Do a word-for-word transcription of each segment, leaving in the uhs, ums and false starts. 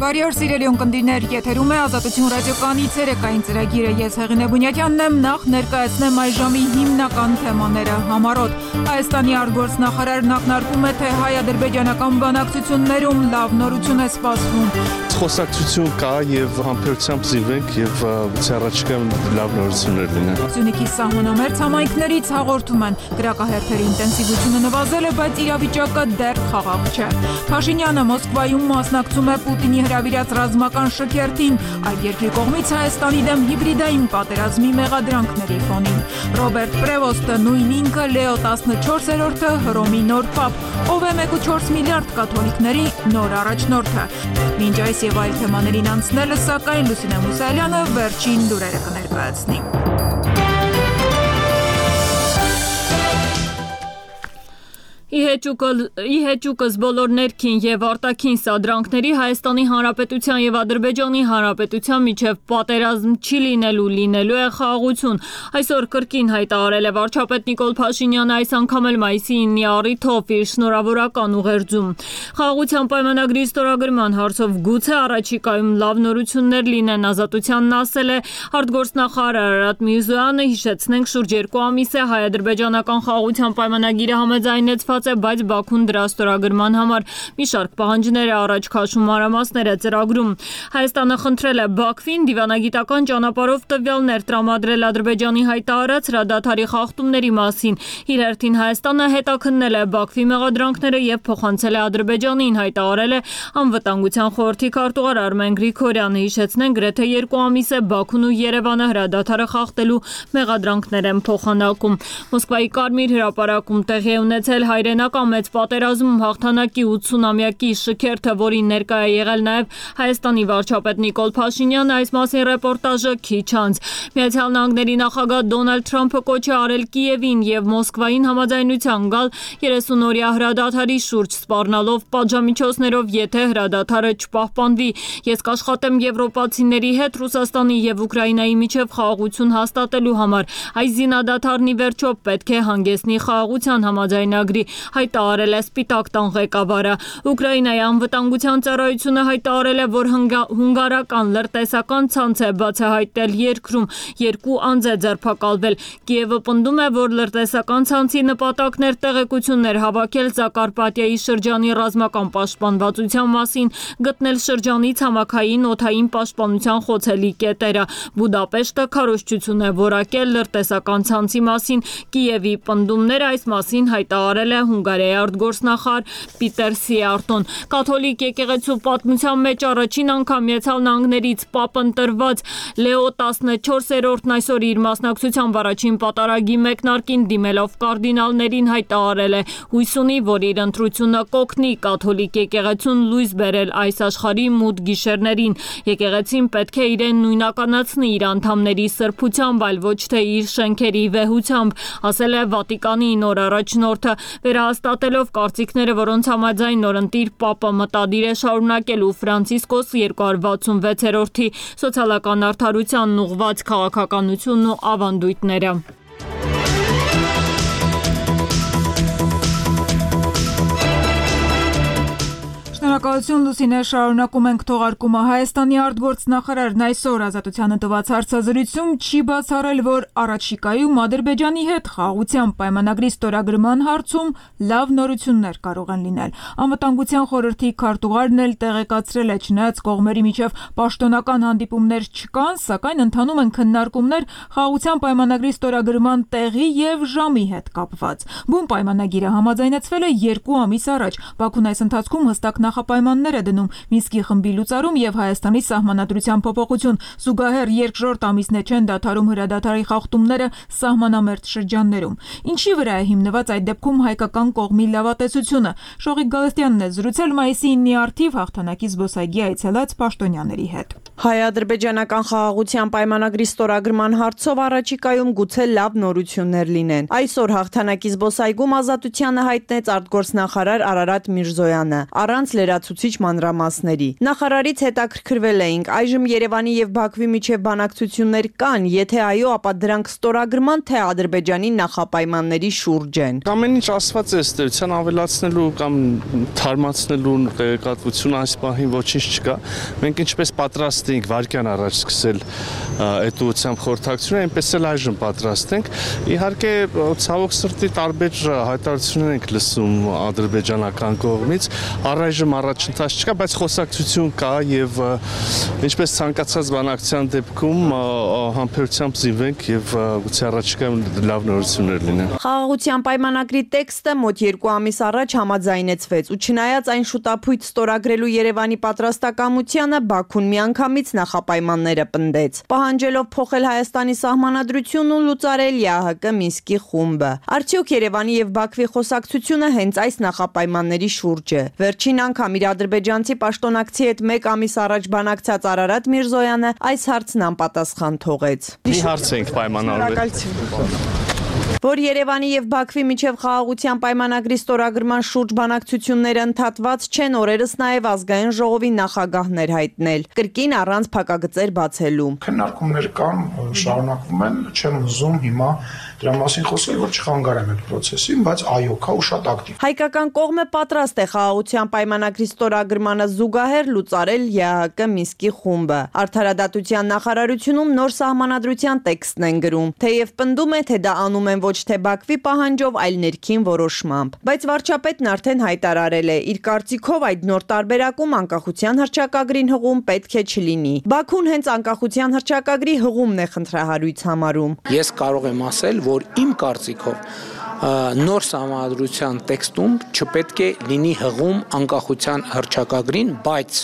Բարի օր սիրելի ունկնդիրներ, եթերում է Ազատություն ռադիոկայանի ցերեկային ծրագիրը, ես Հեղինե Բունյակյանն եմ, նախ ներկայացնեմ այս ժամի հիմնական թեմաները։ Համառոտ Հայաստանի արտգործնախարարն ակնարկում է, թե հայ-ադրբեջանական բանակցություններում լավ նորություն է սպասվում։ Խոսակցություն կա եւ համբերությամբ զիվենք եւ առաջիկայում լավ նորություններ լինեն։ Սյունիքի սահմանամերձ համայնքներից հաղորդում են, գրակահերթերի ինտենսիվությունը նվազել է, բայց իրավիճակը դեռ խաղաղ չէ։ Փաշինյանը Մոսկվայում մասնակցում է Պուտինի հրավիրած ռազմական շքերթին, այդ երկրի կողմից Հայաստանի դեմ հիբրիդային պատերազմի մեղադրանքների ֆոնին։ Ռոբերտ Պրևոստը նույն ինքը Լեո տասնչորսերորդը Հռոմի նոր պապ, ով է մեկ կόμμα չորս միլիարդ կաթոլիկների նոր առաջնորդը։ Մինչ այս եւ այլ թեմաներին անցնելը, սակայն Լուսինե Մուսայելյանը վերջին լուրերը կներկայացնի։ Ի հեճուկս բոլոր ներքին եւ արտաքին սադրանքների Հայաստանի Հանրապետության եւ Ադրբեջանի Հանրապետության միջև պատերազմ չի լինելու, լինելու է խաղաղություն։ Այսօր կրկին հայտարարել է վարչապետ Նիկոլ Փաշինյանը, այս անգամ էլ մայիսի ինը առիթով իր շնորհավորական ուղերձում։ Խաղաղության պայմանագրի ստորագրման հարցով գուցե առաջիկայում լավ նորություններ լինեն, Ազատությանն ասել է արտգործնախարար Արարատ Միրզոյանը, հիշեցնենք, շուրջ երկու ամիս է հայ-ադրբեջանական խաղաղության պայմանագիրը համաձայնեցված, բայց Բաքուն դրա ստորագրման համար մի շարք պահանջներ է առաջ քաշում, մանրամասներ է ծրագրում։ Հայաստանը խնդրել է Բաքվին դիվանագիտական ճանապարհով տվյալներ տրամադրել Ադրբեջանի հայտարարած հրադադարի խախտումների մասին։ Իր հերթին Հայաստանը հետաքննել է Բաքվի մեղադրանքները եւ փոխանցել է Ադրբեջանին, հայտարարել է Անվտանգության խորհրդի քարտուղար Արմեն Գրիգորյանը, հիշեցնենք, գրեթե երկու ամիս է Բաքուն ու Երևանը հրադադարը խախտելու մեղադրանքներ են փոխանակում։ Մոսկվայի Կարմիր հրապարակում տեղի է ունեցել հայրենական մեծ պատերազմում հաղթանակի ութսունամյակի շքերթը, որին ներկա է եղել նաև Հայաստանի վարչապետ Նիկոլ Փաշինյանը, այս մասին ռեպորտաժը քիչ անց։ Միացյալ Նահանգների նախագահ Դոնալդ Թրամփը կոչ է արել Կիևին եւ Մոսկվային համաձայնության գալ երեսունօրյա հրադադարի շուրջ, սպառնալով պատժամիջոցներով, եթե հրադադարը չպահպանվի։ Ես կաշխատեմ եվրոպացիների հետ Ռուսաստանի եւ Ուկրաինայի միջև խաղաղություն հաստատելու համար։ Այս զինադադարն ի վերջո պետք է հանգեցնի խաղաղության համաձայնագրի, հայտարարել է Սպիտակ տան ղեկավարը։ Ուկրաինայի անվտանգության ծառայությունը հայտարարել է, որ հունգարական լրտեսական ցանց է բացահայտել երկրում, երկու անձ է ձերբակալվել։ Կիևը պնդում է, որ լրտեսական ցանցի նպատակն էր տեղեկություններ հավաքել Զակարպատիայի շրջանի ռազմական պաշտպանվածության մասին, գտնել շրջանի ցամաքային օդային պաշտպանության խոցելի կետերը։ Բուդապեշտը քարոզչություն է որակել լրտեսական ցանցի մասին։ Կիևի պնդումները այս մասին հայտարարել է Հունգարիայի արտգործնախարար Պիտեր Սիարտոն։ Կաթոլիկ եկեղեցու պատմության մեջ առաջին անգամ Միացյալ Նահանգներից պապ ընտրված Լեո տասնչորսերորդն այսօր իր մասնակցությամբ առաջին պատարագի մեկնարկին դիմելով կարդինալներին հայտարարել է հույս ունի, որ իր ընտրությունը կօգնի կաթոլիկ եկեղեցուն լույս բերել այս աշխարհի մութ գիշերներին։ Եկեղեցին պետք է իրեն նույնականացնի իր անդամների սրբությամբ, այլ ոչ թե իր շենքերի վեհությամբ, ասել է Վատիկանի նոր առաջնորդը, վերահաստատելով կարծիքները, որոնց համաձայն նորընտիր պապը մտադիր է շարունակելու Ֆրանցիսկոս երկու հարյուր վաթսունվեցերորդի սոցիալական արդարությանն ուղղված քաղաքականությունն ու ավանդույթները։ Շնորհակալություն Լուսինե, շարունակում ենք թողարկումը։ Հայաստանի արտգործնախարարն այսօր Ազատությանը տված հարցազրույցում չի բացառել, որ առաջիկայում Ադրբեջանի հետ խաղաղության պայմանագրի ստորագրման հարցում լավ նորություններ կարող են լինել։ Անվտանգության խորհրդի քարտուղարն էլ տեղեկացրել է, չնայած կողմերի միջև պաշտոնական հանդիպումներ չկան, սակայն ընթանում են քննարկումներ խաղաղության պայմանագրի ստորագրման տեղի եւ ժամի հետ կապված։ Բուն պայմանագիրը համաձայնեցվել է երկու ամիս առաջ։ Բաքուն այս ընթացքում հստակ նախապայմաններ է դնում Մինսկի խմբի լուծարում եւ Հայաստանի սահմանադրության փոփոխություն, զուգահեռ երկրորդ ամիսներ չեն դադարում հրադադարի խախտումները սահմանամերձ շրջաններում։ Ինչի վրա է հիմնված այդ դեպքում հայկական կողմի լավատեսությունը։ Շողիկ Գալստյանն է զրուցել մայիսի ինը առթիվ հաղթանակի զբոսայգի այցելած պաշտոնյաների հետ։ Հայ-ադրբեջանական խաղաղության պայմանագրի ստորագրման հարցով առաջիկայում գուցե լավ նորություններ լինեն։ Այսօր հաղթանակի զբոսայգում ազատությանը հայտնեց արտգործնախարար Արարատ Միրզոյանը, առանց լրացուցիչ մանրամասների։ Նախարարից հետաքրքրվել էինք, այժմ Երևանի եւ Բաքվի միջև բանակցություններ կան, եթե այո, ապա դրանք ստորագրման թե Ադրբեջանի նախապայմանների շուրջ են։ Ամեն ինչ ասված է ըստերության ավելացնելու կամ թարմացնելու տեղեկատվություն այս պահին ոչինչ չկա։ Մենք ինչպես պատրաստ ենք վարկյան առաջ սկսել այդ ուղղությամբ խորհրդակցությունը, այնպես էլ այժմ պատրաստ ենք։ Իհարկե, ցավոք սրտի տարբեր հայտարարություններ ենք լսում ադրբեջանական կողմից, առայժմ առաջընթաց չկա, բայց խոսակցություն կա եւ ինչպես ցանկացած բանակցության դեպքում համբերությամբ զինվենք եւ գուցե առաջիկայում լավ նորություններ լինեն։ Խաղաղության պայմանագրի տեքստը մոտ երկու ամիս առաջ համաձայնեցվեց ու չնայած այն շուտափույթ ստորագրելու Երևանի պատրաստակամությանը Բաքուն միանգամից նախապայմանները պնդեց, պահանջելով փոխել Հայաստանի սահմանադրությունն ու լուծարել ԵԱՀԿ Մինսկի խումբը։ Արդյոք Երևանի եւ Բաքվի խոսակցությունը հենց այս նախապայմանների շուրջ է։ Վերջին անգամ իր ադրբեջանցի պաշտոնակցի հետ մեկ ամիս առաջ բանակցած Արարատ Միրզոյանը այս հարցն անպատասխան թողեց։ Մի հարց ենք պայմանավորվել, որ Երևանի եւ Բաքվի միջև խաղաղության պայմանագրի ստորագրման շուրջ բանակցությունները ընդհատված չեն, օրերս նաեւ ազգային ժողովի նախագահներ հայտնել, կրկին առանց փակագծեր բացելու։ Քննարկումներ կան, շարունակվում են, չեմ ուզում հիմա դրա մասին խոսել, որ չխանգարեմ այդ process-ին, բայց այո, կա ու շատ ակտիվ։ Հայկական կողմը պատրաստ է խաղաղության պայմանագրի ստորագրմանը զուգահեռ լուծարել ԵԱՀԿ Մինսկի խումբը։ Արդարադատության նախարարությունում նոր սահմանադրության տեքստն են գրում, թեև պնդում է, թե դա անում են ոչ թե Բաքվի պահանջով, այլ ներքին որոշմամբ։ Բայց վարչապետն արդեն հայտարարել է, իր կարծիքով այդ նոր տարբերակում անկախության հռչակագրին հղում պետք է չլինի։ Բաքուն հենց անկախության հռչակագրի հղումն է խնդրահարույց համարում։ Ես կարող եմ ասել, որ իմ կարծիքով նոր սահմանադրության տեքստում չպետք է լինի հղում անկախության հռչակագրին, բայց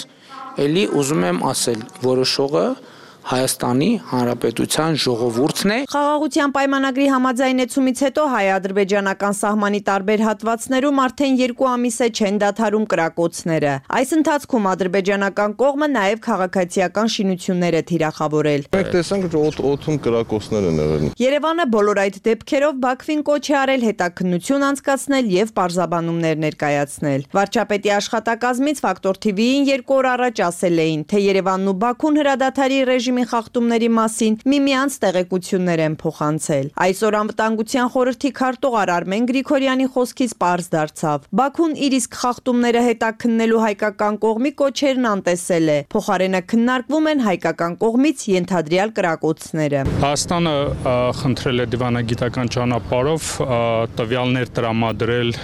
ելի ուզում եմ ասել, որոշողը Հայաստանի Հանրապետության ժողովուրդն է։ Խաղաղության պայմանագրի համաձայնեցումից հետո հայ-ադրբեջանական սահմանի տարբեր հատվածներում արդեն երկու ամիս է չեն դադարում կրակոցները։ Այս ընթացքում ադրբեջանական կողմը նաև քաղաքացիական շինություններ է թիրախավորել։ Մենք տեսանք, որ օդում կրակոցներ են եղել։ Երևանը բոլոր այդ դեպքերով Բաքվին կոչ է արել հետաքննություն անցկացնել եւ պարզաբանումներ ներկայացնել։ Վարչապետի աշխատակազմից Ֆակտոր թի վիին երկու օր առաջ ասել էին, թե Երևանն ու Բաքուն հրադադարի ռեժիմի խախտումների մասին միմյանց տեղեկություններ են փոխանցել։ Այսօր անվտանգության խորհրդի քարտուղար Արմեն Գրիգորյանի խոսքից պարզ դարձավ։ Բաքուն իր իսկ խախտումները հետաքննելու հայկական կողմի կոչերն անտեսել է։ Փոխարենը քննարկվում են հայկական կողմից ենթադրյալ կրակոցները։ Հայաստանը խնդրել է դիվանագիտական ճանապարհով տվյալներ տրամադրել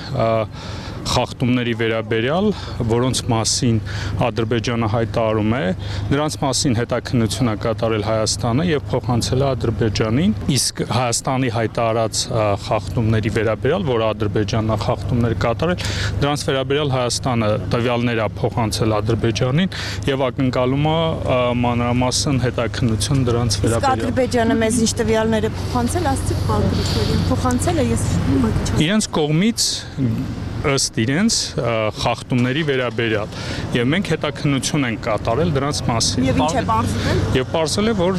խախտումների վերաբերյալ, որոնց մասին Ադրբեջանը հայտարարում է, նրանց մասին հետաքննություն է կատարել Հայաստանը եւ փոխանցել է Ադրբեջանին, իսկ Հայաստանի հայտարարած խախտումների վերաբերյալ, որ Ադրբեջանն է խախտումներ կատարել, դրանց վերաբերյալ Հայաստանը տվյալներ է փոխանցել Ադրբեջանին եւ ակնկալում է մանրամասն հետաքննություն դրանց վերաբերյալ։ Իսկ Ադրբեջանը մեզ ինչ տվյալներ է փոխանցել, ասցիք Բաքվին, փոխանցել է, ես իրենց կողմից ըստ իրենց խախտումների վերաբերյալ եւ մենք հետաքննություն ենք կատարել դրանց մասին։ Եվ ինչ է պարզվել։ Եվ պարզել է, որ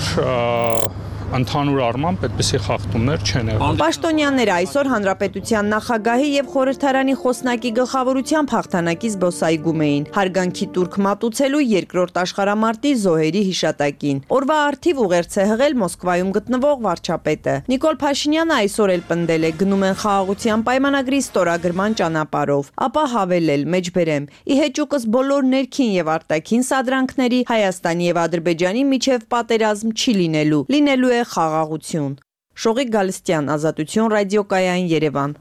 ընդհանուր առմամբ այդպիսի խախտումներ չեն եղել։ Պաշտոնյաները այսօր Հանրապետության նախագահի եւ խորհրդարանի խոսնակի գլխավորությամբ հաղթանակի զբոսայգում էին հարգանքի տուրք մատուցելու երկրորդ աշխարհամարտի զոհերի հիշատակին։ Օրվա արդիվ ուղերձ է հղել Մոսկվայում գտնվող վարչապետը։ Նիկոլ Փաշինյանը այսօր էլ պնդել է գնում են խաղաղության պայմանագրի ստորագրման ճանապարհով, ապա հավելել մեջբերեմ՝ ի հեճուկս բոլոր ներքին եւ արտաքին սադրանքների Հայաստանի եւ Ադրբեջանի միջև պատերազմ չի լինելու։ Լինելու է խաղաղություն։ Շողիկ Գալստյան, Ազատություն ռադիոկայան, Երևան։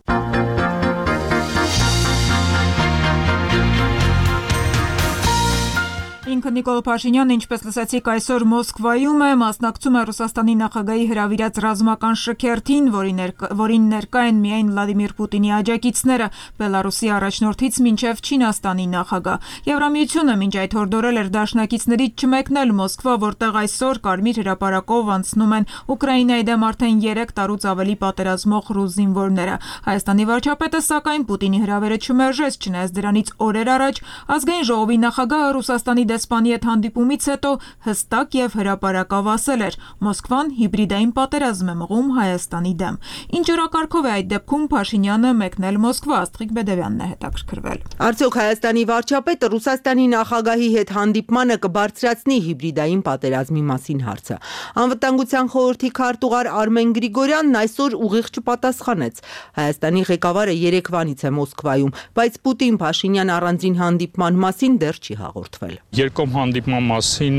Ինքը Նիկոլ Փաշինյանը, ինչպես լսեցիք, այսօր Մոսկվայում է, մասնակցում է Ռուսաստանի նախագահի հրավիրած ռազմական շքերթին, որին ներկա են միայն Վլադիմիր Պուտինի աջակիցները, Բելարուսի առաջնորդից մինչև Չինաստանի նախագահ։ Եվրամիությունը մինչ այդ հորդորել էր դաշնակիցներից չմեկնել Մոսկվա, որտեղ այսօր Կարմիր հրապարակով անցնում են Ուկրաինայի դեմ արդեն երեք տարուց ավելի պատերազմող ռուս զինվորները։ Հայաստանի վարչապետը, սակայն, Պուտինի հրավերը չմերժեց, չնայած դրանից օրեր առաջ ազգային ժողովի նախագահը Ռուսաստանի դեսպան դեսպանի հետ հանդիպումից հետո հստակ եւ հրապարակավ ասել էր. Մոսկվան հիբրիդային պատերազմ է մղում Հայաստանի դեմ։ Ինչ օրակարգով է այդ դեպքում Փաշինյանը մեկնել Մոսկվա, Աստղիկ Բեդևյանն է հետաքրքրվել։ Արդյոք Հայաստանի վարչապետը Ռուսաստանի նախագահի հետ հանդիպմանը կբարձրացնի հիբրիդային պատերազմի մասին հարցը։ Անվտանգության խորհրդի քարտուղար Արմեն Գրիգորյանն այսօր ուղիղ չպատասխանեց։ Հայաստանի ղեկավարը երեկվանից է Մոսկվայում, բայց Պուտին-Փաշինյան առանձին հանդիպման մասին դեռ չի հաղորդվել։ Երկկողմ հանդիպման մասին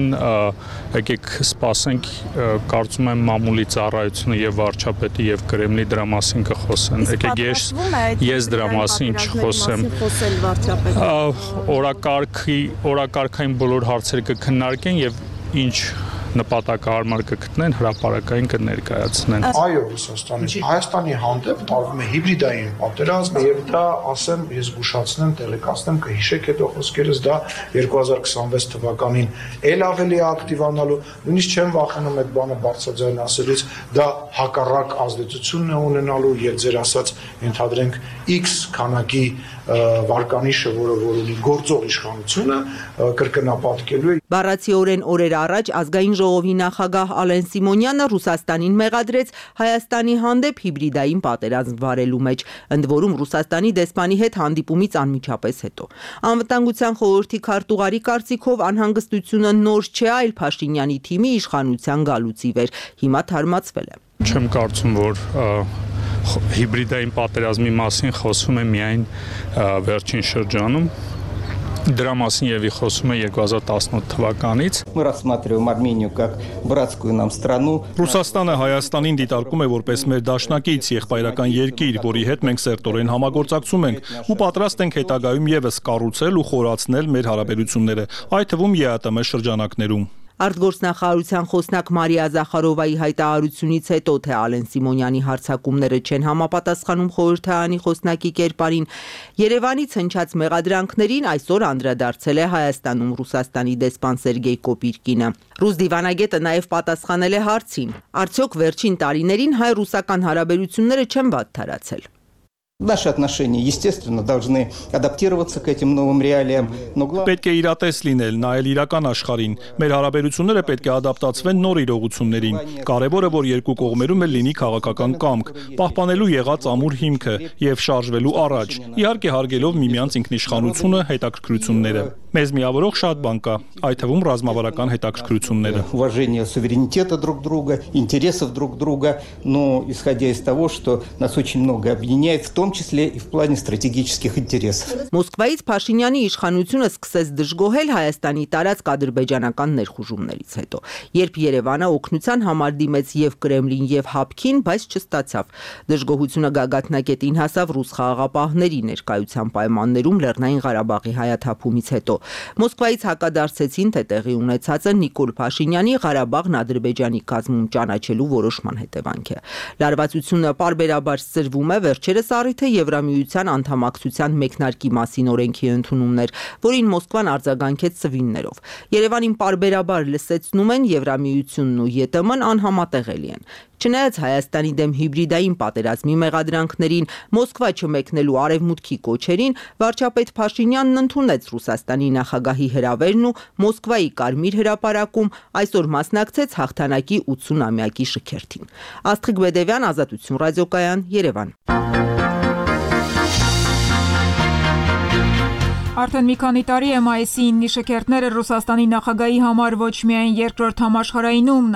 եկեք սպասենք, կարծում եմ մամուլի ծառայությունը եւ վարչապետի եւ Կրեմլի դրա մասին կխոսեն։ Եկեք ես ես դրա մասին չխոսեմ։ Օրակարգի օրակարգային բոլոր հարցերը կքննարկեն եւ ինչ նպատակահարմար կգտնեն, հրապարակային կներկայացնեն։ Այո, Ռուսաստանից Հայաստանի հանդեպ տարվում է հիբրիդային պատերազմ եւ դա, ասեմ, ես զգուշացնեմ, տեղեկացնեմ, կհիշեք հետո խոսքերս, դա երկու հազար քսանվեց թվականին ել ավելի ակտիվանալու, նույնիսկ չեմ վախենում այդ բանը բարձրաձայն ասելուց, դա հակառակ ազդեցությունն է ունենալու եւ ձեր ասած ենթադրենք X քանակի վարկանիշը, որը որ ունի գործող իշխանությունը, կրկնապատկելու է։ Բառացիորեն օրեր առաջ ազգային ժողովի նախագահ Ալեն Սիմոնյանը Ռուսաստանին մեղադրեց Հայաստանի հանդեպ հիբրիդային պատերազմ վարելու մեջ, ընդ որում Ռուսաստանի դեսպանի հետ հանդիպումից անմիջապես հետո։ Անվտանգության խորհրդի քարտուղարի կարծիքով անհանգստությունը նոր չէ, այլ Փաշինյանի թիմի իշխանության գալուց ի վեր։ Հիմա թարմացվել է։ Չեմ կարծում, որ հիբրիդային պատերազմի մասին խոսում է միայն վերջին շրջանում։ Դրա մասին եւի խոսում է երկու հազար տասնութ թվականից։ Мы рассматриваем Армению как братскую нам страну։ Ռուսաստանը Հայաստանին դիտարկում է որպես մեր դաշնակից եղբայրական երկիր, որի հետ մենք սերտորեն համագործակցում ենք ու պատրաստ ենք հետագայում եւս կառուցել ու խորացնել մեր հարաբերությունները, այդ թվում ԵԱՏՄ շրջանակներում։ Արտգործնախարարության խոսնակ Մարիա Զախարովայի հայտարարությունից հետո, թե Ալեն Սիմոնյանի հարձակումները չեն համապատասխանում խորհրդարանի խոսնակի կերպարին, Երևանից հնչած մեղադրանքներին այսօր անդրադարձել է Հայաստանում Ռուսաստանի դեսպան Սերգեյ Կոպիրկինը։ Ռուս դիվանագետը նաև պատասխանել է հարցին. Արդյոք վերջին տարիներին հայ-ռուսական հարաբերությունները չեն վատթարացել։ Наши отношения, естественно, должны адаптироваться к этим новым реалиям, но главное պետք է իրատես լինել, նայել իրական աշխարհին։ Մեր հարաբերությունները պետք է ադապտացվեն նոր իրողություններին։ Կարևորը, որ երկու կողմերում էլ լինի քաղաքական կամք, պահպանելու եղած ամուր հիմքը եւ շարժվելու առաջ, իհարկե հարգելով միմյանց ինքնիշխանությունը, հետաքրքրությունները։ Մեզ միավորող շատ բան կա, այդ թվում ռազմավարական հետաքրքրությունները։ Уважение суверенитета друг друга, интересов друг друга, но исходя из того, что нас очень много объединяет, в том числе и в плане стратегических интересов։ Մոսկվայից Փաշինյանի իշխանությունը սկսեց դժգոհել Հայաստանի տարածք ադրբեջանական ներխուժումներից հետո, երբ Երևանը օգնության համար դիմեց եւ Կրեմլին եւ Հապկին, բայց չստացավ։ Դժգոհությունը գագաթնակետին հասավ ռուս խաղաղապահների ներկայության պայմաններում Լեռնային Ղարաբաղի հայաթափումից հետո։ Մոսկվայից հակադարձեցին, թե տեղի ունեցածը Նիկոլ Փաշինյանի Ղարաբաղն Ադրբեջանի կազմում ճանաչելու որոշման հետևանք է։ Լարվածությունը պարբերաբար սրվում է, վերջերս առիթը Եվրամիության անդամակցության մեկնարկի մասին օրենքի ընդունումն էր, որին Մոսկվան արձագանքեց սվիններով։ Երևանին պարբերաբար լսեցնում են Եվրամիությունն ու ԵՏՄ-ն անհամատեղելի են։ Չնայած Հայաստանի դեմ հիբրիդային պատերազմի մեղադրանքներին, Մոսկվա չմեկնելու արևմուտքի կոչերին, վարչապետ Փաշինյանն ընդունեց Ռուսաստանի նախագահի հրավերն ու Մոսկվայի Կարմիր հրապարակում այսօր մասնակցեց հաղթանակի ութսունամյակի շքերթին։ Աստղիկ Բեդևյան, Ազատություն ռադիոկայան, Երևան։ Արդեն մի քանի տարի է մայիսի ինը շքերթները Ռուսաստանի նախագահի համար ոչ միայն երկրորդ համաշխարհայինում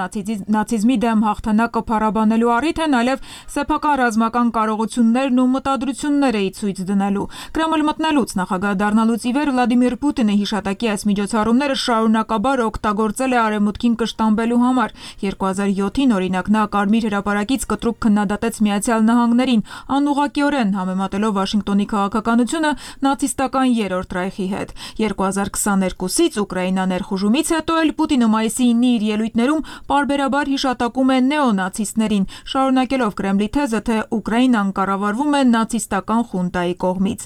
նացիզմի դեմ հաղթանակը փառաբանելու առիթ են, այլև սեփական ռազմական կարողություններն ու մտադրությունները ցույց դնելու։ Կրեմլ մտնելուց նախագահ դառնալուց ի վեր Վլադիմիր Պուտինը հիշատակի այս միջոցառումները շարունակաբար օգտագործել է արևմուտքին կշտամբելու համար։ երկու հազար յոթին օրինակ նա Կարմիր հրապարակից կտրուկ քննադատեց Միացյալ Նահանգներին, անուղղակիորեն համեմատելով Վաշինգտոնի քաղաքականությունը նացիստական երրորդ Ռայխի հետ։ երկու հազար քսաներկուսից Ուկրաինա ներխուժումից հետո էլ Պուտինը մայիսի ինը իր ելույթներում պարբերաբար հիշատակում է նեոնացիստներին, շարունակելով Կրեմլի թեզը, թե Ուկրաինան կառավարվում է նացիստական խունտայի կողմից։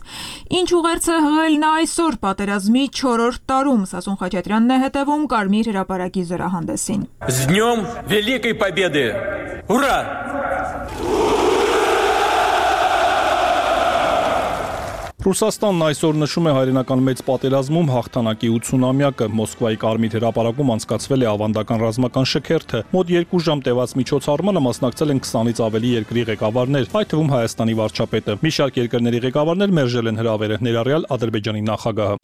Ինչ ուղերձ է հղել նա այսօր պատերազմի չորրորդ տարում, Սասուն Խաչատրյանն է հետևում Կարմիր հրապարակի զորահանդեսին։ С днем Великой Победы! Ура! Ռուսաստանն այսօր նշում է հայրենական մեծ պատերազմում հաղթանակի ութսունամյակը։ Մոսկվայի Կարմիր հրապարակում անցկացվել է ավանդական ռազմական շքերթը։ Մոտ երկու ժամ տևած միջոցառմանը մասնակցել են քսանից ավելի երկրի ղեկավարներ, այդ թվում Հայաստանի վարչապետը։ Մի շարք երկրների ղեկավարներ մերժել են հրավերը, ներառյալ Ադրբեջանի նախագահը։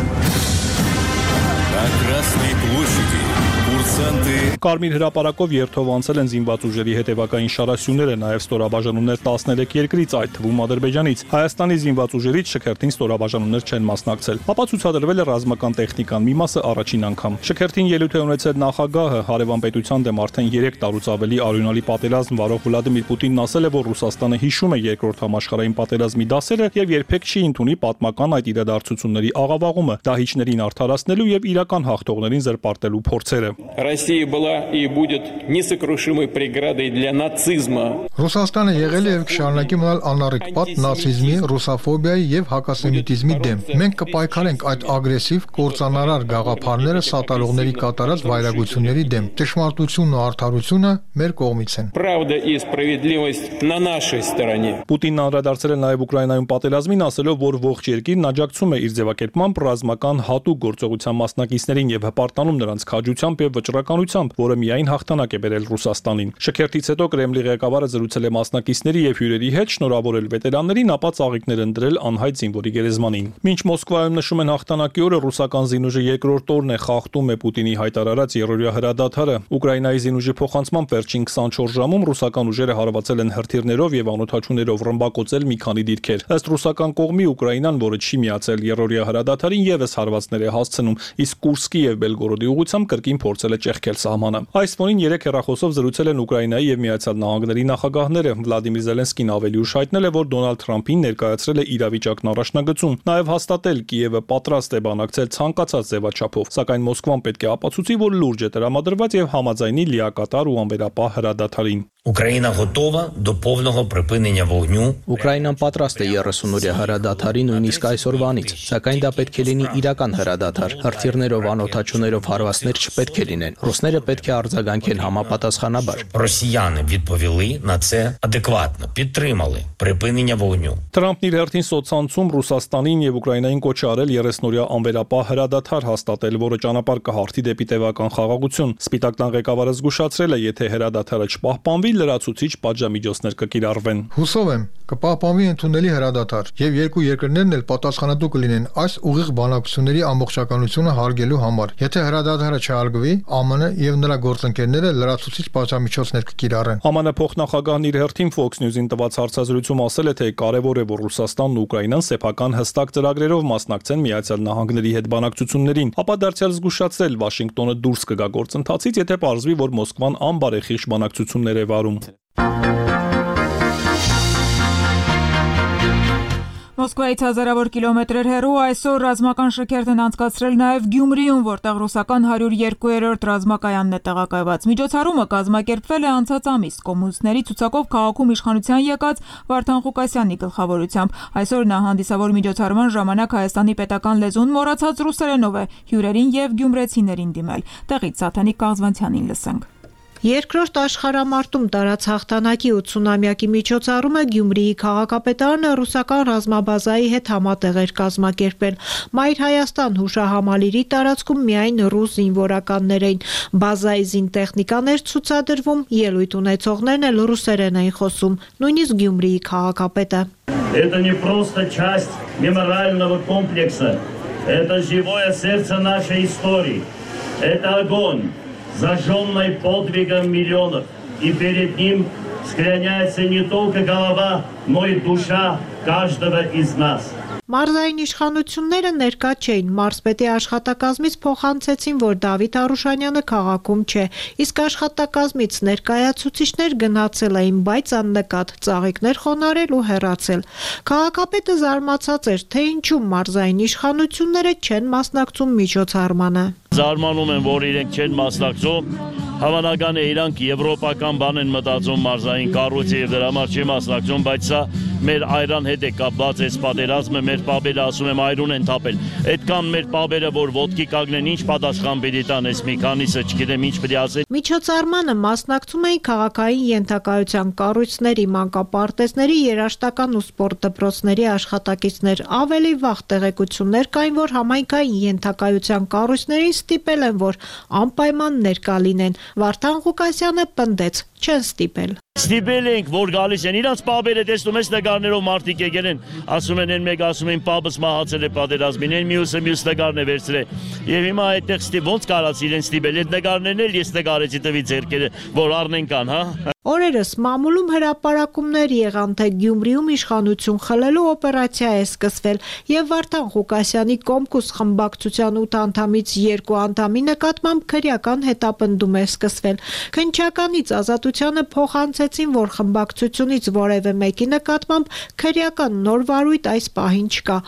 Կարմիր հրապարակով երթով անցել են զինված ուժերի հետևակային շարասյուները, նաև ստորաբաժանումներ տասներեք երկրից, այդ թվում Ադրբեջանից։ Հայաստանի զինված ուժերից շքերթին ստորաբաժանումներ չեն մասնակցել։ Ապա ցուցադրվել է ռազմական տեխնիկան մի մասը առաջին անգամ։ Շքերթին ելույթ է ունեցել նախագահը, հարևան պետության դեմ արդեն երեք տարուց ավելի արյունալի պատերազմ վարող Վլադիմիր Պուտինն ասել է, որ Ռուսաստանը հիշում է երկրորդ համաշխարհային պատերազմի դասերը եւ երբեք չի ընդունի պատմական այդ իրադարձությունների աղավաղումը, դահիճներին արդարացնելու եւ իրական հաղթողներին զրպարտելու փորձերը։ Россия была и будет несокрушимой преградой для нацизма. Ռուսաստանը եղել է եւ կշարունակի մնալ անառիկ պատ նացիզմի, ռուսաֆոբիայի եւ հակասեմիտիզմի դեմ։ Մենք կպայքարենք այդ ագրեսիվ, կործանարար գաղափարները սատարողների կատարած վայրագությունների դեմ։ Ճշմարտությունն ու արդարությունը մեր կողմից են։ Правда и справедливость на нашей стороне. Պուտինն անդրադարձել է նաեւ Ուկրաինայում պատերազմին, ասելով, որ ողջ երկիրն աջակցում է իր ձևակերպմամբ ռազմական հատուկ գործողության մասնակիցներին եւ հպարտանում նրանց քաջությամբ եւ վճռականությամբ, որը միայն հաղթանակ է բերել Ռուսաստանին։ Շքերթից հետո Կրեմլի ղեկավարը զրուցել է մասնակիցների եւ հյուրերի հետ, շնորհավորել վետերաններին, ապա ծաղիկներ ընտրել անհայտ զինվորի գերեզմանին։ Մինչ Մոսկվայում նշում են հաղթանակի օրը, ռուսական զինուժը երկրորդ օրն է խախտում է Պուտինի հայտարարած երրորդյա հրադադարը։ Ուկրաինայի զինուժի փոխանցմամբ վերջին քսանչորս ժամում ռուսական ուժերը հարվածել են հրթիռներով եւ անօդաչուներով ռմբակոծել մի քանի դիրքեր։ Ըստ ռուսական կողմի Ուկրաինան, որը չի միացել երրորդյա հրադադարին, եւս հարվածներ է հասցնում, իսկ Կուրսկի եւ Բելգորոդի ուղղությամբ կրկին փորձել է ճեղքել սահմանը։ Այս ֆոնին երեք հեռախոսով զրուցել են Ուկրաինայի եւ Միացյալ Նահանգների նախագահները։ Վլադիմիր Զելենսկին ավելի ուշ հայտնել է, որ Դոնալդ Թրամփին ներկայացրել է իրավիճակն առաջնագծում, նաեւ հաստատել Կիևը պատրաստ է բանակցել ցանկացած ձևաչափով, սակայն Մոսկվան պետք է ապացուցի, որ լուրջ է տրամադրված եւ համաձայնի լիակատար ու անվերապահ հրադադարին։ Україна готова до повного припинення вогню. Ուկրաինան պատրաստ է երեսունօրյա հրադադարի նույնիսկ այսօրվանից, սակայն դա պետք է լինի իրական հրադադար։ Հրթիռներով, անօդաչուներով հարվածներ չպետք է լինեն։ Ռուսները պետք է արձագանքեն համապատասխանաբար։ Росіяни відповіли на це адекватно, підтримали припинення вогню. Թրամփն իր հերթին սոցցանցում Ռուսաստանին եւ Ուկրաինային կոչ արել երեսնօրյա անվերապահ հրադադար հաստատել, որը ճանապարհ կհարթի դեպի տևական խաղաղություն։ Սպիտակ տան ղեկավարը զգուշացրել է, եթե հրադադարը չպահպանվի, լրացուցիչ պատժամիջոցներ կկիրառվեն։ Հուսով եմ, կպահպանվի ընդունելի հրադադար եւ երկու երկրներն էլ պատասխանատու կլինեն այս ուղիղ բանակցությունների ամբողջականությունը հարգելու համար։ Եթե հրադադարը չհարգվի, ԱՄՆ եւ նրա գործընկերները լրացուցիչ պատժամիջոցներ կկիրառեն։ ԱՄՆ փոխնախագահն իր հերթին Fox News-ին տված հարցազրույցում ասել է, թե կարևոր է, որ Ռուսաստանն ու Ուկրաինան սեփական հստակ ծրագրերով մասնակցեն Միացյալ Նահանգների հետ բանակցություններին, ապա դարձյալ զգուշացրել Վաշինգտոնը դուրս կգա գործընթացից, եթե պարզվի, որ Մոսկվան անբարեխիղճ բանակցություններ է վարում։ Մոսկվայից հազարավոր կիլոմետրեր հեռու այսօր ռազմական շքերթ են անցկացրել նաև Գյումրիում, որտեղ ռուսական հարյուր երկու-րդ ռազմակայանն է տեղակայված։ Միջոցառումը կազմակերպվել է անցած ամիս կոմունիստների ցուցակով քաղաքում իշխանության եկած Վարդան Ղուկասյանի գլխավորությամբ։ Այսօր նա հանդիսավոր միջոցառման ժամանակ Հայաստանի պետական լեզուն մոռացած ռուսերենով է հյուրերին եւ գյումրեցիներին դիմել։ Տեղից Սաթանիկ Կաղզվանցյանին լսենք։ Երկրորդ աշխարհամարտում տարած հաղթանակի ութսունամյակի միջոցառումը Գյումրիի քաղաքապետարանը ռուսական ռազմաբազայի հետ համատեղ էր կազմակերպել։ Մայր Հայաստան հուշահամալիրի տարածքում միայն ռուս զինվորականներ էին։ Բազայի զինտեխնիկաներ ցուցադրվում, ելույթ ունեցողներն էլ ռուսերեն էին խոսում, նույնիսկ Գյումրիի քաղաքապետը։ Это не просто часть мемориального комплекса. Это живое сердце нашей истории. Это огонь, зажженный подвигом миллионов, и перед ним склоняется не только голова, но и душа каждого из нас. Մարզային իշխանությունները ներկա չէին, մարզպետի աշխատակազմից փոխանցեցին, որ Դավիթ Արուշանյանը քաղաքում չէ, իսկ աշխատակազմից ներկայացուցիչներ գնացել էին, բայց աննկատ, ծաղիկներ խոնարել ու հեռացել։ Քաղաքապետը զարմացած էր, թե ինչու մարզային իշխանությունները չեն մասնակցում միջոցառմանը։ Զարմանում են, որ իրենք չեն մասնակցում, հավանական է իրանք եվրոպական բան են մտածում մարզային կառույցի եւ դրա համար չի մասնակցում, բայց սա մեր այրան հետ է կապված այս պատերազմը, մեր պապերը ասում եմ այրուն են թափել։ Այդքան մեր պապերը, որ ոտքի կանգնեն, ինչ պատասխան պիտի տան, այս մի քանիսը չգիտեմ ինչ պիտի ասեն։ Միջոցառմանը մասնակցում էին քաղաքային ենթակայության կառույցների, մանկապարտեզների, երաժշտական ու սպորտ դպրոցների աշխատակիցներ։ Ավելի վաղ տեղեկություններ կային, որ համայնքային ենթակայության կառույցներին ստիպել են, որ անպայման ներկա լինեն։ Վարդան Ղուկասյանը պնդեց, չեն ստիպել։ Ստիպել ենք, որ գալիս են, իրանց պապերը տեսնում ես նկարներով մարդիկ եկել են, ասում են են մեկ ասում են պապս մահացել է պատերազմին, են մյուսը մյուս նկարն է վերցրել։ Եվ հիմա այդտեղ ստի ոնց կարած իրեն ստիպել, այդ նկարներն էլ ես նկարեցի տվի ձեռքերը, որ առնեն կան, հա։ Օրերս մամուլում հրապարակումներ եղան, թե Գյումրիում իշխանություն խլելու օպերացիա է սկսվել եւ Վարդան Ղուկասյանի Կոմկուս խմբակցության ութ անդամից երկու անդամի նկատմամբ քրեական հետապնդում է սկսվել։ Քննչականից Ազատությանը փոխանցեցին, որ խմբակցությունից որևէ մեկի նկատմամբ քրեական նոր վարույթ այս պահին չկա։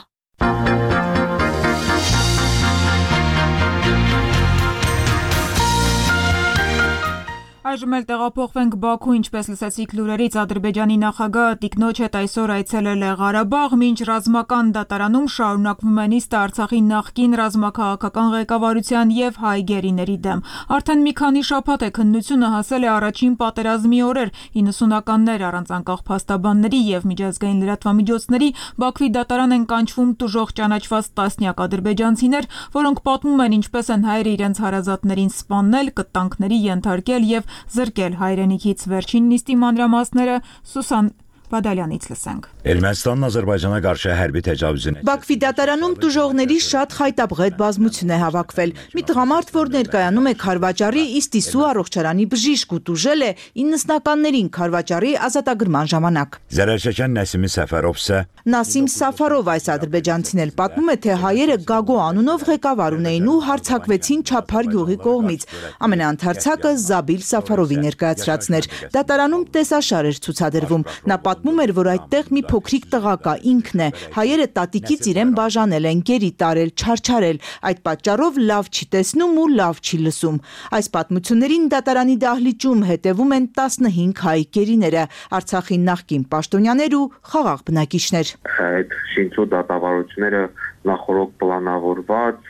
Այժմ էլ տեղափոխվենք Բաքու, ինչպես լսեցիք լուրերից, Ադրբեջանի նախագահը տիկնոջ հետ այսօր այցելել է Ղարաբաղ, մինչ ռազմական դատարանում շարունակվում է նիստը Արցախի նախկին ռազմաքաղաքական ղեկավարության եւ հայ գերիների դեմ։ Արդեն մի քանի շաբաթ է քննությունը հասել է առաջին պատերազմի օրեր, իննսունականներ առանց անկախ փաստաբանների եւ միջազգային լրատվամիջոցների Բաքվի դատարան են կանչվում տուժող ճանաչված տասնյակ ադրբեջանցիներ, որոնք պատմում են ինչպես են հայերը իրենց հարազատներին սպանել, կտանքների ենթարկել եւ զրկել հայրենիքից։ Վերջին նիստի մանրամասները Սուսան Բադալյանից լսենք։ Ermənistanın Azərbaycana qarşı hərbi təcavüzünə Բաքվի դատարանում տուժողների շատ խայտաբղետ բազմություն է հավաքվել։ Մի տղամարդ, որ ներկայանում է Քարվաճարի Իստիսու առողջարանի բժիշկ ու տուժել է իննսնականներին Քարվաճարի ազատագրման ժամանակ։ Zərərçəkən Nəsimi Səfərov isə Նասիմ Սաֆարով այս ադրբեջանցին էլ պատմում է, թե հայերը Գագո անունով ղեկավար ունեին ու հարձակվեցին Չափար գյուղի կողմից։ Ամենաընթարցակը Զաբիլ Սաֆարովի ներկայացրածն էր։ Դատարանում տեսաշար էր ցուցադրվում։ Նա պատմում էր, որ այդտեղ մի փոքրիկ տղա կա, ինքն է։ Հայերը տատիկից իրեն բաժանել են, գերի տարել, չարչարել։ Այդ պատճառով լավ չի տեսնում ու լավ չի լսում։ Այս պատմություններին դատարանի դահլիճում հետևում են տասնհինգ հայ գերիները, Արցախի նախկին պաշտոնյաներ ու խաղաղ բնակիչներ։ Այդ շինչու դատավարությունները նախորդ պլանավորված,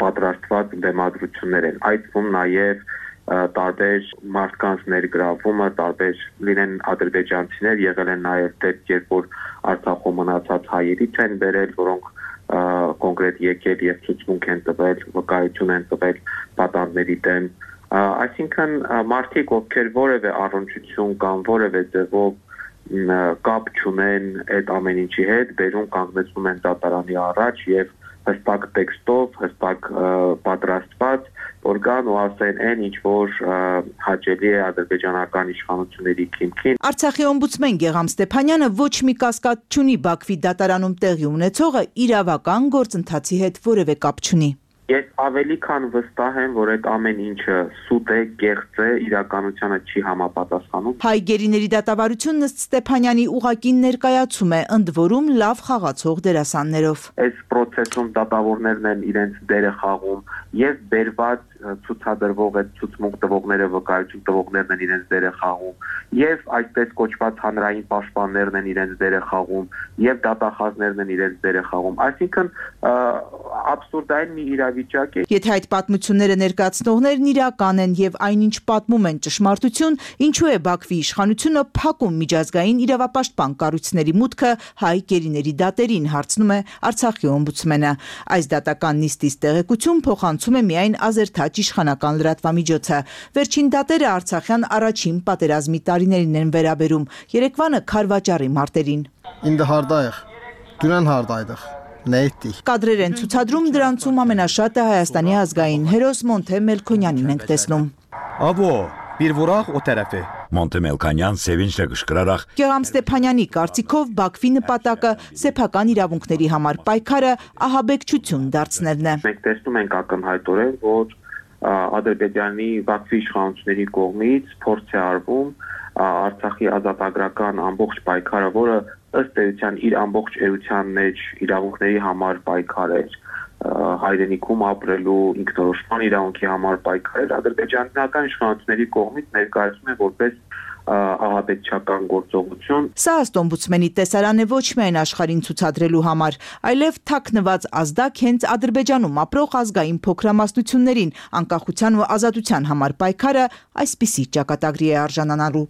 պատրաստված դեմադրություններ են։ Այդվում նաև տարբեր մարդկանց ներգրավումը, տարբեր լինեն ադրբեջանցիներ, եղել են նաև դեպք, երբ որ Արցախում մնացած հայերից են բերել, որոնք կոնկրետ եկել եւ ցուցմունք են տվել, վկայություն են տվել պատանդների դեմ։ Այսինքն մարդիկ, ովքեր որևէ առնչություն կամ որևէ ձևով կապ չունեն այդ ամեն ինչի հետ, բերում կանգնեցնում են դատարանի առաջ եւ հստակ տեքստով, հստակ պատրաստված, որ գան ու ասեն այն ինչ որ հաճելի է ադրբեջանական իշխանությունների քիմքին։ Արցախի օմբուդսմեն Գեգամ Ստեփանյանը ոչ մի կասկած չունի Բաքվի դատարանում տեղի ունեցողը իրավական գործընթացի հետ որևէ կապ չունի։ Ես ավելի քան վստահ եմ, որ այդ ամեն ինչը սուտ է, կեղծ է, իրականությանը չի համապատասխանում։ Հայ գերիների դատավարությունն ըստ Ստեփանյանի ուղղակի ներկայացում է, ընդ որում լավ խաղացող դերասաններով։ Այս process-ում դատավորներն են իրենց դերը խաղում եւ բերված ցուցադրվող այդ ցուցմունք տվողները, վկայություն տվողներն են իրենց դերը խաղում եւ այսպես կոչված հանրային պաշտպաններն են իրենց դերը խաղում եւ դատախազներն են իրենց դերը խաղում։ Այսինքն աբսուրդային մի իրավիճակ է։ Եթե այդ պատմությունները ներկայացնողներն իրական են եւ այնինչ պատմում են ճշմարտություն, ինչու է Բաքվի իշխանությունը փակում միջազգային իրավապաշտպան կառույցների մուտքը հայ գերիների դատերին, հարցնում է Արցախի օմբուդսմենը։ Այս դատական նիստից տեղեկություն փոխանցում է միայն Ազերթաչ իշխանական լրատվամիջոցը։ Վերջին դատերը արցախյան առաջին պատերազմի տարիներին են վերաբերում, երեկվանը Քարվաճարի մարտերին։ Ինձ հարդայեղ, դուրան հարդայդեղ։ Կադրեր են ցուցադրում, դրանցում ամենաշատը Հայաստանի ազգային հերոս Մոնթե Մելքոնյանին ենք տեսնում։ Աբո, bir vuraq o tərəfi։ Մոնթե Մելքոնյան sevinçlə qışqıraraq Գեգամ Ստեփանյանի կարծիքով Բաքվի նպատակը սեփական իրավունքների համար պայքարը ահաբեկչություն դարձնելն է։ Մենք տեսնում ենք ակնհայտորեն, որ Ադրբեջանի Բաքվի իշխանությունների կողմից փորձ է արվում Արցախի ազատագրական ամբողջ պայքարը, որը ըստ էության իր ամբողջ էության մեջ իրավունքների համար պայքար էր, հայրենիքում ապրելու ինքնորոշման իրավունքի համար պայքար էր, ադրբեջանական իշխանությունների կողմից ներկայացվում է որպես ահաբեկչական գործողություն։ Սա ըստ օմբուդսմենի տեսարան է ոչ միայն աշխարհին ցուցադրելու համար, այլև թաքնված ազդակ հենց Ադրբեջանում ապրող ազգային փոքրամասնություններին անկախության ու ազատության համար պայքարը այսպիսի ճակատագրի է արժանանալու։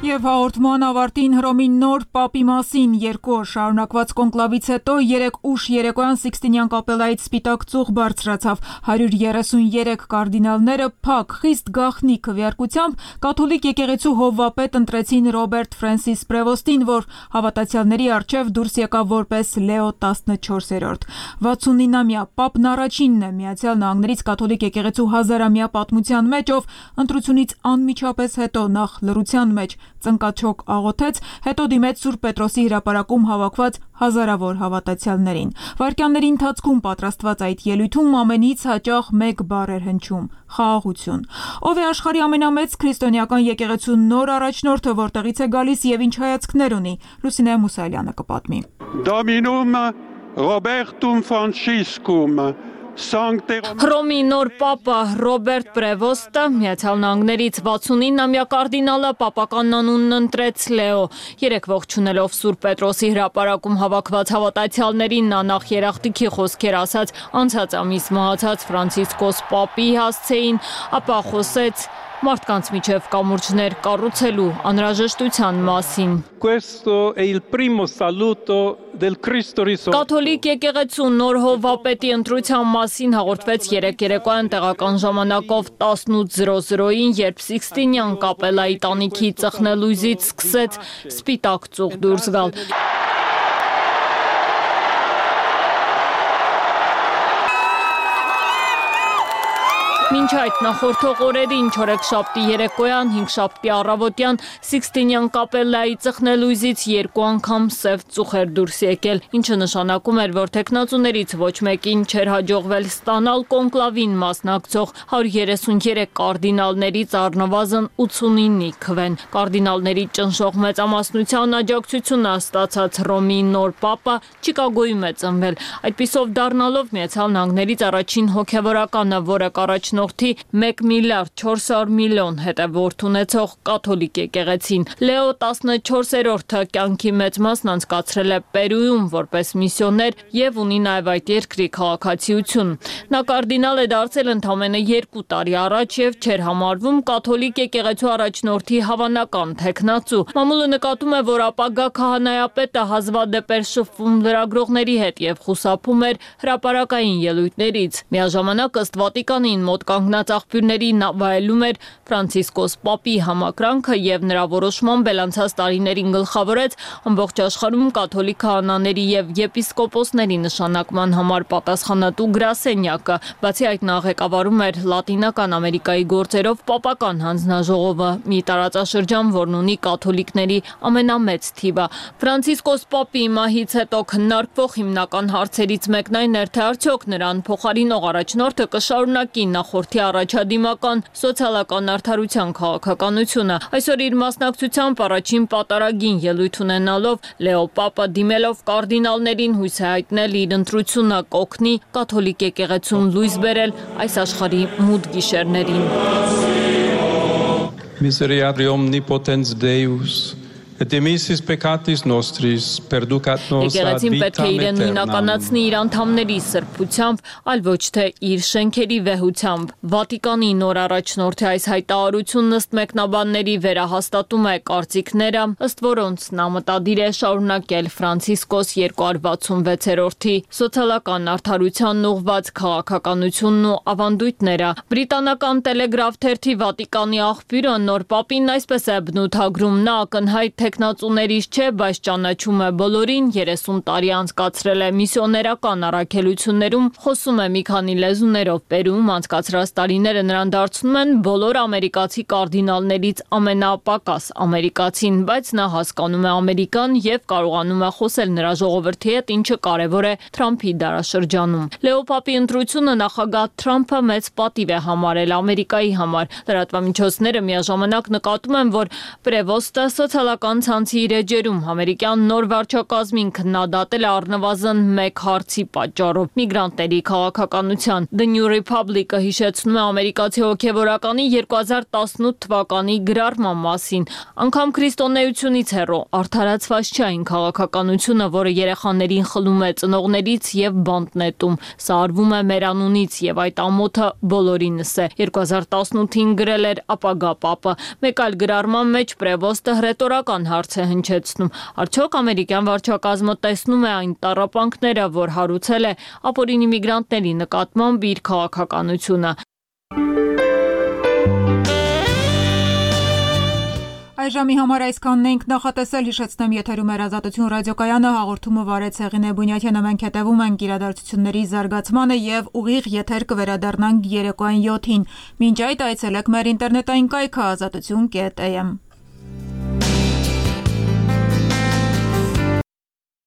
Եվ հաղորդման ավարտին Հռոմի նոր պապի մասին երկու օր շարունակված կոնկլավից հետո երեկ ուշ երեկոյան Սիկստինյան կապելայից սպիտակ ծուխ բարձրացավ։ հարյուր երեսուներեք կարդինալները փակ խիստ գաղտնի քվեարկությամբ կաթոլիկ եկեղեցու հովվապետ ընտրեցին Ռոբերտ Ֆրանսիս Պրևոստին, որ հավատացյալների առջև դուրս եկավ որպես Լեո տասնչորսերորդ։ վաթսունինամյա պապն առաջինն է Միացյալ Նահանգներից կաթոլիկ եկեղեցու հազարամյա պատմության մեջ, ով ընտրությունից անմիջապես հետո նախ լռության մեջ ծնկաչոք աղոթեց, հետո դիմեց Սուրբ Պետրոսի հրապարակում հավաքված հազարավոր հավատացյալներին։ Վայրկյանների ընթացքում պատրաստված այդ ելույթում ամենից հաճախ մեկ բառ էր հնչում՝ խաղաղություն։ Ով է աշխարհի ամենամեծ քրիստոնեական եկեղեցու նոր առաջնորդը, որտեղից է գալիս եւ ինչ հայացքներ ունի, Լուսինե Մուսայելյանը կպատմի։ Dominum Robertum Franciscum Հռոմի նոր պապը Ռոբերտ Պրևոստը Միացյալ Նահանգներից վաթսունինամյա կարդինալը պապական անունն ընտրեց Լեո։ Երեկ ողջունելով Սուրբ Պետրոսի հրապարակում հավաքված հավատացյալներին նա նախ երախտիքի խոսքեր ասաց անցած ամիս մահացած Ֆրանցիսկոս պապի հասցեին, ապա խոսեց մարդկանց միջև կամուրջներ կառուցելու անհրաժեշտության մասին։ Կաթոլիկ եկեղեցու նոր հովվապետի ընտրության մասին հաղորդվեց երեկ երեկոյան տեղական ժամանակով տասնութ զրո զրոյին, երբ Սիկստինյան կապելայի տանիքի ծխնելույզից սկսեց սպիտակ ծուխ դուրս գալ։ Մինչ այդ նախորդող օրերին չորեքշաբթի երեկոյան, հինգշաբթի առավոտյան Սիկստինյան կապելայի ծխնելույզից երկու անգամ սև ծուխ էր դուրս եկել, ինչը նշանակում էր, որ թեկնածուներից ոչ մեկին չէր հաջողվել ստանալ կոնկլավին մասնակցող հարյուր երեսուներեք կարդինալներից առնվազն ութսունինի քվեն։ Կարդինալների ճնշող մեծամասնության աջակցությունը ստացած Հռոմի նոր պապը Չիկագոյում է ծնվել, այդպիսով դառնալով Միացյալ Նահանգներից առաջին հոգևորականը, որը կառաջնորդի մեկ միլիարդ չորսյոթ միլիոն հետևորդ ունեցող կաթոլիկ եկեղեցին։ Լեո տասնչորսերորդը կյանքի մեծ մասն անցկացրել է Պերուում որպես միսիոներ եւ ունի նաեւ այդ երկրի քաղաքացիություն։ Նա կարդինալ է դարձել ընդամենը երկու տարի առաջ եւ չէր համարվում կաթոլիկ եկեղեցու առաջնորդի հավանական թեկնածու։ Մամուլը նկատում է, որ ապագա քահանայապետը հազվադեպ էր շփվում լրագրողների հետ եւ խուսափում էր հրապարակային ելույթներից։ Միաժամանակ ըստ Վատիկանին մոտ կանգնած աղբյուրների վայելում էր Ֆրանցիսկոս պապի համակրանքը եւ նրա որոշմամբ անցած տարիներին գլխավորեց ամբողջ աշխարհում կաթոլիկ քահանաների եւ եպիսկոպոսների նշանակման համար պատասխանատու գրասենյակը։ Բացի այդ նա ղեկավարում էր Լատինական Ամերիկայի գործերով պապական հանձնաժողովը, մի տարածաշրջան, որն ունի կաթոլիկների ամենամեծ թիվը։ Ֆրանցիսկոս պապի մահից հետո քննարկվող հիմնական հարցերից մեկն այն էր, թե արդյոք նրան փոխարինող առաջնորդը կշարունակի նախորդի առաջադիմական սոցիալական արդարության քաղաքականությունը։ Այսօր իր մասնակցությամբ առաջին պատարագին ելույթ ունենալով Լեո պապը դիմելով կարդինալներին հույս է հայտնել իր ընտրությունը կօգնի կաթոլիկ եկեղեցուն լույս բերել այս աշխարհի մութ գիշերներին։ Miserere omnipotens Deus et emissis peccatis nostris perducat nos ad Եկեղեցին պետք է vitam իրեն aeternam. նույնականացնի իր անդամների սրբությամբ, այլ ոչ թե իր շենքերի վեհությամբ։ Վատիկանի նոր առաջնորդի այս հայտարարությունն ըստ մեկնաբանների վերահաստատում է կարծիքները, ըստ որոնց նա մտադիր է շարունակել Ֆրանցիսկոս երկրորդ վաթսունվեցերորդի սոցիալական արդարությանն ուղղված քաղաքականությունն ու ավանդույթները։ Բրիտանական Տելեգրաֆ թերթի Վատիկանի աղբյուրը նոր պապին այսպես է բնութագրում, նա ակնհայտ թեկնածուներից չէ, բայց ճանաչում է բոլորին, երեսուն տարի անցկացրել է միսիոներական առաքելություններում, խոսում է մի քանի լեզուներով, Պերուում անցկացրած տարիները նրան դարձնում են բոլոր ամերիկացի կարդինալներից ամենապակաս ամերիկացին, բայց նա հասկանում է Ամերիկան եւ կարողանում է խոսել նրա ժողովրդի հետ, ինչը կարևոր է Թրամփի դարաշրջանում։ Լեո պապի ընտրությունը նախագահ Թրամփը մեծ պատիվ է համարել Ամերիկայի համար։ Լրատվամիջոցները միաժամանակ նկատում են, որ Պրևոստը սոցիալական Սոցիալական ցանցի իր էջերում ամերիկյան նոր վարչակազմին քննադատել է առնվազն մեկ հարցի պատճառով՝ միգրանտների քաղաքականության։ The New Republic-ը հիշեցնում է ամերիկացի հոգևորականի երկու հազար տասնութ թվականի գրառման մասին։ Անգամ քրիստոնեությունից հեռու արդարացված չէ այն քաղաքականությունը, որը երեխաներին խլում է ծնողներից եւ բանտ նետում։ Սա արվում է մեր անունից եւ այդ ամոթը բոլորինս է։ երկու հազար տասնութին գրել էր ապագա պապը։ Մեկ այլ գրառման մեջ Պրևոստը հռետորական հարց է հնչեցնում. արդյոք ամերիկյան վարչակազմը տեսնում է այն տառապանքները, որ հարուցել է ապօրինի միգրանտների նկատմամբ իր քաղաքականությունը։ Այժմի համար այսքանն ենք նախատեսել, հիշեցնեմ եթերում էր Ազատություն ռադիոկայանը, հաղորդումը վարեց Հեղինե Բունյաթյանը, մենք հետևում ենք իրադարձությունների զարգացմանը եւ ուղիղ եթեր կվերադառնանք երեկոյան յոթին։ Մինչ այդ այցելեք մեր ինտերնետային կայքը ազատություն կետ am։